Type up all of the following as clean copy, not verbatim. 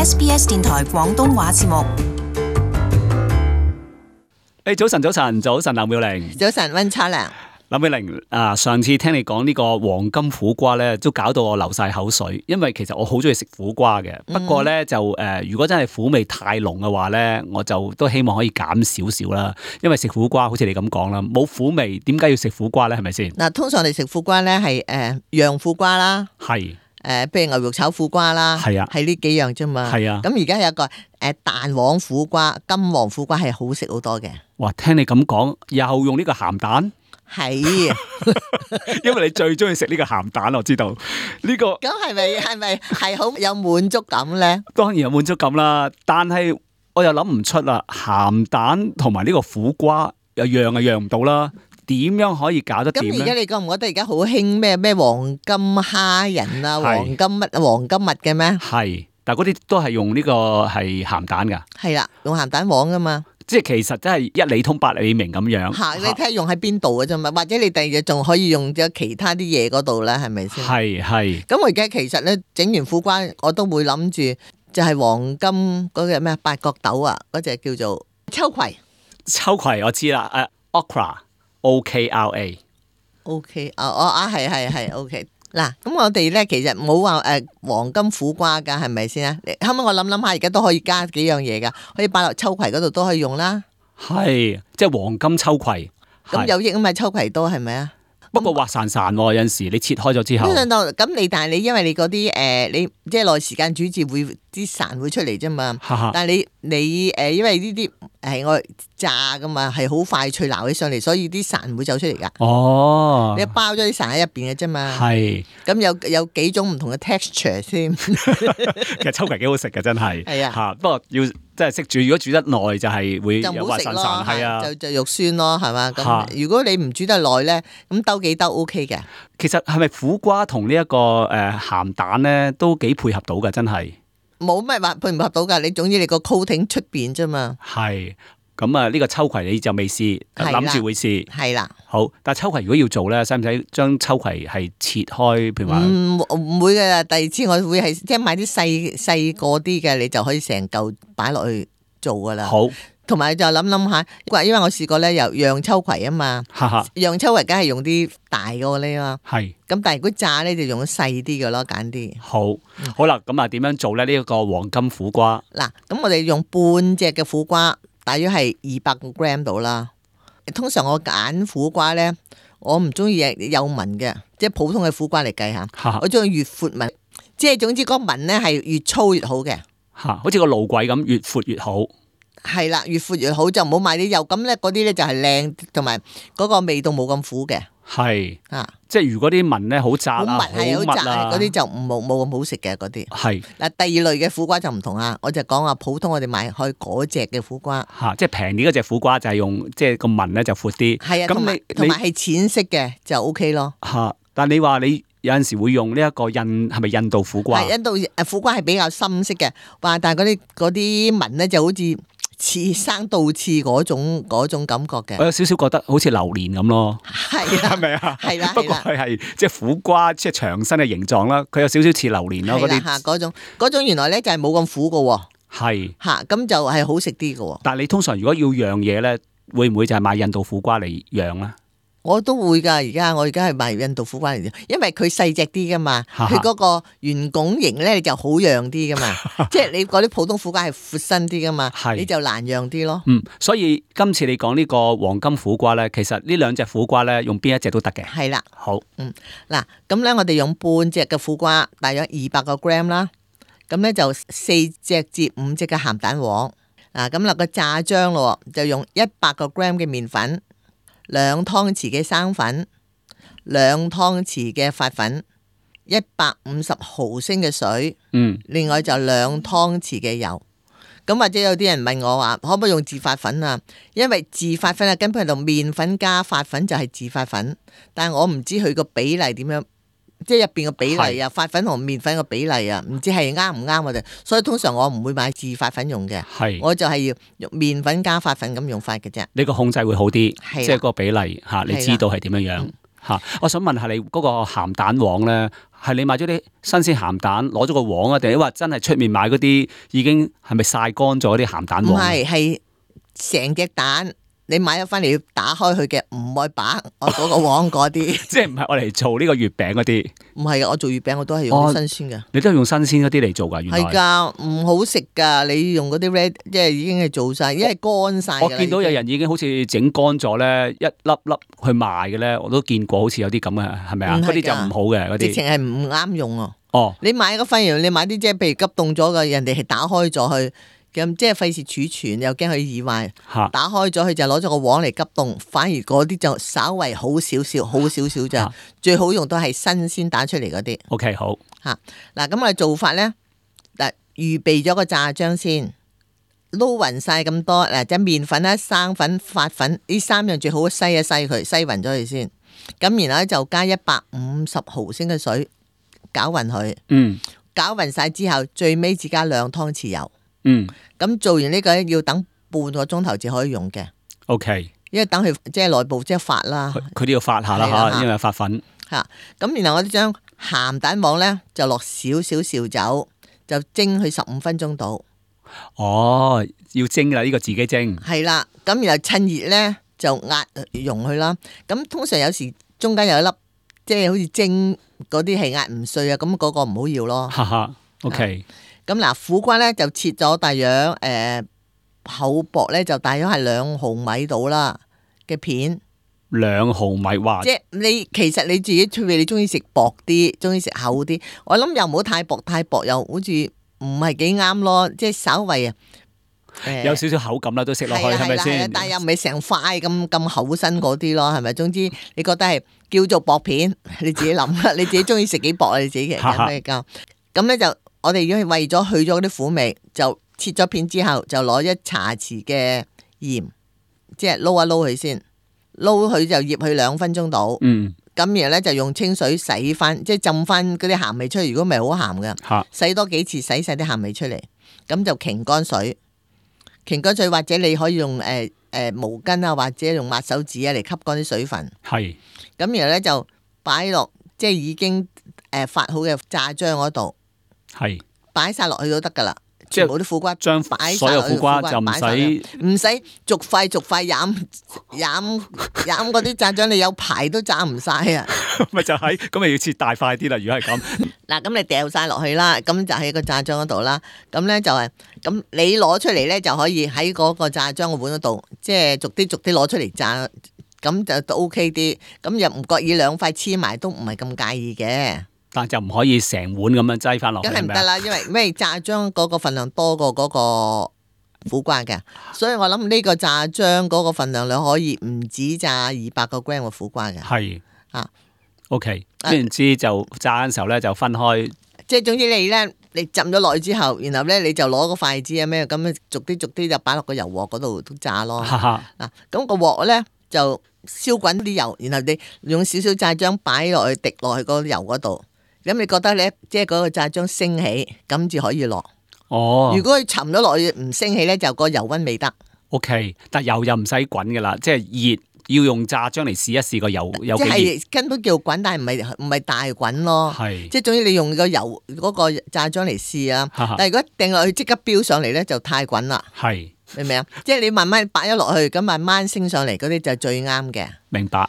SBS 電台廣東話節目。早晨，林妙玲。早晨，溫差良。林妙玲啊，上次聽你講呢個黃金苦瓜咧，都搞到我流晒口水，因為其實我好中意食苦瓜嘅。不過咧如果真係苦味太濃嘅話咧，我就都希望可以減少少啦。因為食苦瓜好似你咁講啦，冇苦味，點解要食苦瓜咧？係咪先？嗱，通常我哋食苦瓜咧係釀苦瓜啦，係譬如牛肉炒苦瓜啦，係啊，係呢幾樣啫嘛。係啊。咁而家有一個蛋黃苦瓜、金黃苦瓜係好食好多嘅。哇！聽你咁講，又用呢個鹹蛋。係，因為你最中意食呢個鹹蛋，我知道呢個。咁係咪係好有滿足感咧？當然有滿足感啦，但係我又諗唔出啦，鹹蛋同埋呢個苦瓜又釀唔到啦，點樣可以搞得掂咧？咁而家你覺唔覺得而家好興咩黃金蝦仁啊、黃金乜嘅咩？係，但係嗰啲都係用呢個係鹹蛋噶。係啦，用鹹蛋黃噶嘛。即係其實真係一理通百理明咁樣。嚇，你睇下用喺邊度嘅啫嘛，或者你第二日仲可以用咗其他啲嘢嗰度咧，係咪先？係。咁我而家其實咧整完苦瓜，我都會諗住就係黃金嗰隻咩八角豆啊，嗰隻叫做秋葵。秋葵我知啦，okra OKRA。OK 係 OK。嗱，咁我哋咧其實冇話黃金苦瓜噶，係咪先啊？後尾我諗下，而家都可以加幾樣嘢噶，可以擺落秋葵嗰度都可以用啦。係，即係黃金秋葵。咁有益啊嘛，秋葵都係咪啊？不過滑潺潺喎，有陣時你切開咗之後。咁但係你因為你嗰啲你即係耐時間煮至會啲潺會出嚟啫嘛。但係你因為呢啲係我炸噶嘛，係好快脆撈起上嚟，所以啲潺會走出嚟噶。哦，你包咗啲潺喺入邊嘅啫嘛。係。咁有幾種唔同嘅 texture 先。其實秋葵幾好食嘅，真係。係啊。嚇，不過要即係識煮，如果煮得耐就係會有滑潺潺，係啊。就肉酸咯，係嘛？咁如果你唔煮得耐咧，咁兜幾兜 OK 嘅。其實係咪苦瓜同呢一個鹹蛋咧都幾配合到嘅？真係。冇咩話配唔合到㗎，你總之你個 coating 出邊啫嘛。係，咁啊呢個秋葵你就未試，諗住會試。係啦。好，但係秋葵如果要做咧，使唔使將秋葵係切開？譬如話唔會嘅，第二次我會係即係買啲細個啲嘅，你就可以成嚿擺落去做㗎啦。好。同埋就諗下，因為我試過咧，又釀秋葵啊嘛，釀秋葵梗係用啲大個呢嘛，係。咁但係如果炸咧，就用細啲嘅咯，揀啲。好啦，咁啊點樣做咧？呢一個黃金苦瓜。嗱，咁我哋用半隻嘅苦瓜，大約係200個 gram 到啦。通常我揀苦瓜咧，我唔中意有紋嘅，即係普通嘅苦瓜嚟計下，我中意越闊紋，即係總之嗰紋咧係越粗越好嘅。好似個路軌咁，越闊越好。係啦，越闊越好，就唔好買啲幼咁咧，嗰啲咧就係靚，同埋嗰個味道冇咁苦嘅。係啊，即係如果啲紋咧好窄啊，好密啊，嗰啲就冇咁好食嘅嗰啲。係嗱，第二類嘅苦瓜就唔同啦，我就講話普通我哋買開嗰隻嘅苦瓜。即係平啲嗰隻苦瓜就係用即係個紋咧就闊啲。係啊，同埋係淺色嘅就 OK 咯。但係你話你有陣時會用呢一個係咪印度苦瓜？係印度苦瓜係比較深色嘅，但係嗰啲紋咧就好似似生倒刺嗰種感覺嘅，我有少少覺得好似榴蓮咁咯，係咪啊？係啦，不過佢係即係苦瓜，即係長身嘅形狀啦，佢有少少似榴蓮咯，嗰種原來咧就係冇咁苦嘅，係嚇咁就係好食啲嘅。但係你通常如果要釀嘢咧，會唔會就係買印度苦瓜嚟釀咧？我都會㗎，我而家係買印度苦瓜嚟，因為佢細隻啲㗎嘛，佢嗰個圓拱形咧就好釀啲㗎嘛，即係你嗰啲普通苦瓜係闊身啲㗎嘛，你就難釀啲咯。所以今次你講呢個黃金苦瓜咧，其實呢兩隻苦瓜咧，用邊一隻都得嘅。係啦，好，嗱，咁咧我哋用半隻嘅苦瓜，大約200個 gram 啦，咁咧就4隻至5隻嘅鹹蛋黃，嗱咁落個炸漿咯，就用100個 gram 嘅麵粉。2湯匙嘅生粉，2湯匙嘅發粉，150毫升嘅水，另外就2湯匙嘅油。咁或者有啲人問我話，可唔可以用自發粉啊？因為自發粉啊，根本係同麵粉加發粉就係自發粉，但係我唔知佢個比例點樣，即係入邊個比例啊，發粉同麵粉個比例啊，唔知係啱唔啱我哋，所以通常我唔會買自發粉用嘅，我就係要用麵粉加發粉咁用法嘅啫。你個控制會好啲，即係個比例吓，你知道係點樣樣吓。我想問下你嗰個鹹蛋黃咧，係你買咗啲新鮮鹹蛋，攞咗個黃啊，定係話真係出面買嗰啲已經係咪曬乾咗啲鹹蛋黃？唔係，係成隻蛋。你買咗翻嚟要打開佢嘅，唔愛把我嗰個黃嗰啲，即係唔係我嚟做呢個月餅嗰啲？唔係嘅，我做月餅我都係用啲新鮮嘅。你都係用新鮮嗰啲嚟做㗎？原來係㗎，唔好食㗎。你用嗰啲 red，即係已經係做晒，因為乾晒。我見到有人已經好似整乾咗咧，一粒粒去賣嘅咧，我都見過，好似有啲咁嘅，係咪啊？嗰啲就唔好嘅嗰啲，直情係唔啱用啊！哦，你買個反而你買啲即係譬如急凍咗嘅，人哋係打開咗去。咁即係費事儲存，又驚佢易壞。打開咗佢就攞咗個黃嚟急凍，反而嗰啲就稍為好少少，好少少咋。最好用都係新鮮打出嚟嗰啲。OK， 好嚇嗱，咁我哋做法咧，嗱預備咗個炸漿先，撈勻晒咁多嗱，即係麵粉啦、生粉、發粉呢三樣最好篩一篩佢，篩勻咗佢先。咁然後咧就加150毫升嘅水攪勻佢。攪勻晒之後，最尾只加2湯匙油。咁做完呢個要等半個鐘頭至可以用嘅。OK， 因為等佢即係內部即係發啦，佢都要發下啦吓，因為發粉吓。咁然後我哋將鹹蛋黃咧就落少少紹酒，就蒸佢15分鐘到。哦，要蒸啦，呢個自己蒸。係啦，咁然後趁熱咧就壓溶佢啦。咁通常有時中間有一粒即係好似蒸嗰啲係壓唔碎啊，咁嗰個唔好要咯。哈哈，OK。咁嗱，苦瓜咧就切咗大約厚薄咧就大約係2毫米到啦嘅片。2毫米，哇！即係你其實你自己出嚟，你中意食薄啲，中意食厚啲。我諗又唔好太薄，太薄又好似唔係幾啱咯。即係稍微啊，有少少口感啦，都食落去係咪先？但係又唔係成塊咁厚身嗰啲咯，係咪？總之你覺得係叫做薄片，你自己諗啦。你自己中意食幾薄啊？你自己嘅咁咧就。我哋如果係為咗去咗嗰啲苦味，就切咗片之後，就攞1茶匙嘅鹽，即係撈一撈佢先，撈佢就醃佢2分鐘到。咁然後咧就用清水洗翻，即係浸翻嗰啲鹹味出嚟。如果唔係好鹹嘅，洗多幾次洗晒啲鹹味出嚟，咁就擎乾水，擎乾水或者你可以用毛巾啊，或者用抹手指啊嚟吸乾啲水分。係。咁然後咧就擺落即係已經發好嘅炸漿嗰度。係擺晒落去都得噶啦，全部啲苦瓜將擺所有苦瓜就唔使逐塊飲嗰啲炸漿，你有排都炸唔晒啊！咪就係咁，咪要切大塊啲啦。如果係咁，嗱咁你掉晒落去啦，咁就喺個炸漿嗰度啦。咁咧就係咁，你攞出嚟咧就可以喺嗰個炸漿個碗嗰度，即係逐啲攞出嚟炸，咁就都 OK 啲。咁又唔覺意2塊黐埋都唔係咁介意嘅。但就唔可以成碗咁樣擠翻落去，梗係唔得啦，因為咩炸漿嗰個份量多過嗰個苦瓜嘅，所以我諗呢個炸漿嗰個份量你可以唔止炸200個 gram 嘅苦瓜嘅。係OK， 然之就炸嘅時候咧就分開，即係總之你浸咗落去之後，然後咧你就攞個筷子啊咩咁逐啲就擺落個油鑊嗰度都炸咯。嗱，咁個鑊咧就燒滾啲油，然後你用少少炸漿擺落去滴落去嗰個油嗰度。咁你覺得咧，即係嗰個炸漿升起，咁至可以落。如果佢沉咗落去唔升起咧，就個油溫未得。OK， 但油又唔使滾噶啦，即係熱要用炸漿嚟試一試個油有幾熱。即係根本叫滾，但係唔係大滾咯。即係總之你用個油嗰個炸漿嚟試啊。但係如果掟落去即刻飆上嚟咧，就太滾啦。明唔明啊？即係你慢慢擺咗落去，咁慢慢升上嚟嗰啲就最啱嘅。明白。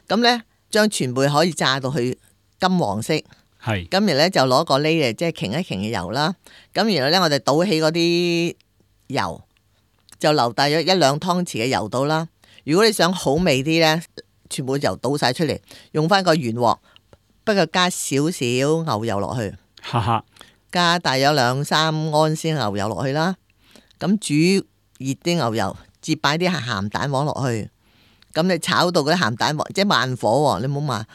咁咧將全部可以炸到去金黃色。咁然後咧就攞個呢嚟即係擎一擎嘅油啦，咁然後咧我哋倒起嗰啲油，就留大約1-2湯匙嘅油到啦。如果你想好味啲咧，全部油倒晒出嚟，用翻個圓鑊，不過加少少牛油落去，加大約2-3安先牛油落去啦。咁煮熱啲牛油，至擺啲鹹蛋黃落去，咁你炒到嗰啲鹹蛋黃即係慢火，你唔好話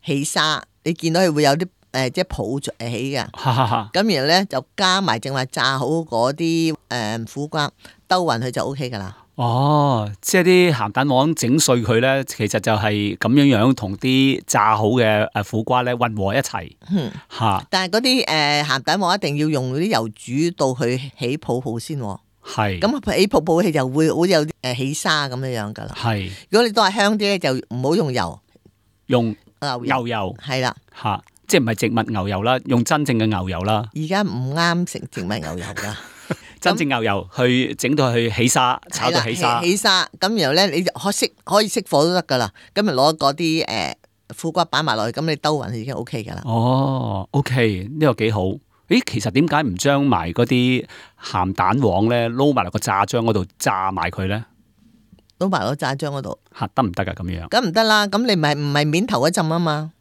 起沙，你見到佢會有啲。即係泡起嘅，咁然後咧就加埋正話炸好嗰啲苦瓜，兜勻佢就 O K 噶啦。即係啲鹹蛋黃整碎佢咧，其實就係咁樣同啲炸好嘅苦瓜咧混和一齊。但係嗰啲鹹蛋黃一定要用啲油煮到佢起泡泡先。咁起泡泡氣就會好有啲起沙咁樣噶啦。如果你都係香啲咧，就唔好用油，用牛油。係啦。即係唔係植物牛油啦，用真正嘅牛油啦。而家唔啱食植物牛油噶。真正牛油去整到去起沙，炒到起沙。起沙咁，然後咧你可以熄火都得噶啦。咁咪攞嗰啲苦瓜擺埋落去，咁你兜勻已經 O K 噶啦。哦，OK，呢個幾好。咦，其實點解唔將埋嗰啲鹹蛋黃咧撈埋落個炸漿嗰度炸埋佢咧？撈埋落炸漿嗰度嚇得唔得㗎？咁樣咁唔得啦。咁你唔係面頭嗰陣啊嘛？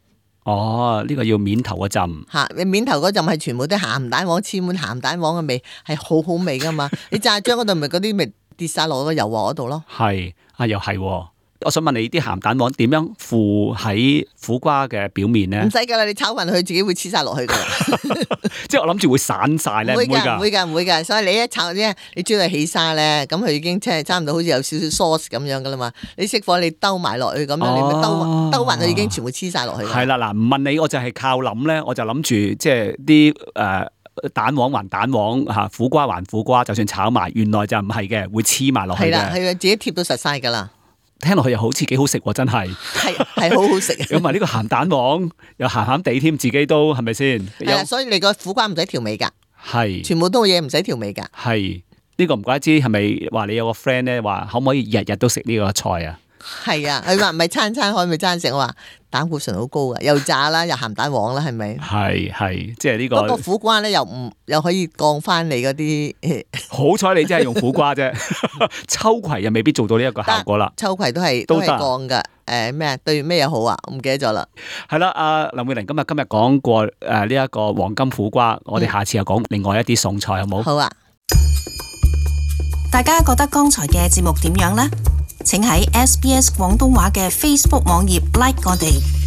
哦，呢個要面頭嗰陣嚇，你面頭嗰陣係全部啲鹹蛋黃，黐滿鹹蛋黃嘅味，係好好味噶嘛。你炸漿嗰度咪嗰啲咪跌晒落個油鑊嗰度咯。係啊，又係喎。我想問你啲鹹蛋黃點樣附喺苦瓜嘅表面咧？唔使噶啦，你炒勻佢自己會黐晒落去噶。即係我諗住會散晒咧，唔會㗎，唔會㗎。所以你一炒咧，你將佢起沙咧，咁佢已經即係差唔多好似有少少 sauce 咁樣噶啦嘛。你熄火，你兜埋落去咁樣，你咪兜勻佢已經全部黐晒落去。係啦，嗱，唔問你，我就係靠諗咧，我就諗住即係啲蛋黃還蛋黃嚇，苦瓜還苦瓜，就算炒埋，原來就唔係嘅，會黐埋落去嘅。係啦，係啊，自己貼到實晒㗎啦。聽落去又好似幾好食喎，真係。係好好食。咁埋呢個鹹蛋黃又鹹鹹地添，自己都係咪先？係啊，所以你個苦瓜唔使調味㗎。係。全部都嘢唔使調味㗎。係。呢個唔怪之係咪話你有個 friend 咧話可唔可以日日都食呢個菜啊？係啊，佢話唔係餐餐可唔可以餐食？我話膽固醇好高㗎，又炸啦，又鹹蛋黃啦，係咪？係，即係呢個。不過苦瓜咧又可以降翻你嗰啲。好彩你真係用苦瓜啫，秋葵又未必做到呢一個效果啦。秋葵都係降㗎。咩對咩嘢好啊？我唔記得咗啦。係啦，阿林詠玲今日講過呢一個黃金苦瓜，我哋下次又講另外一啲餸菜好冇？好啊。大家覺得剛才嘅節目點樣呢？請喺SBS 廣東話嘅 Facebook 網頁 like 我哋。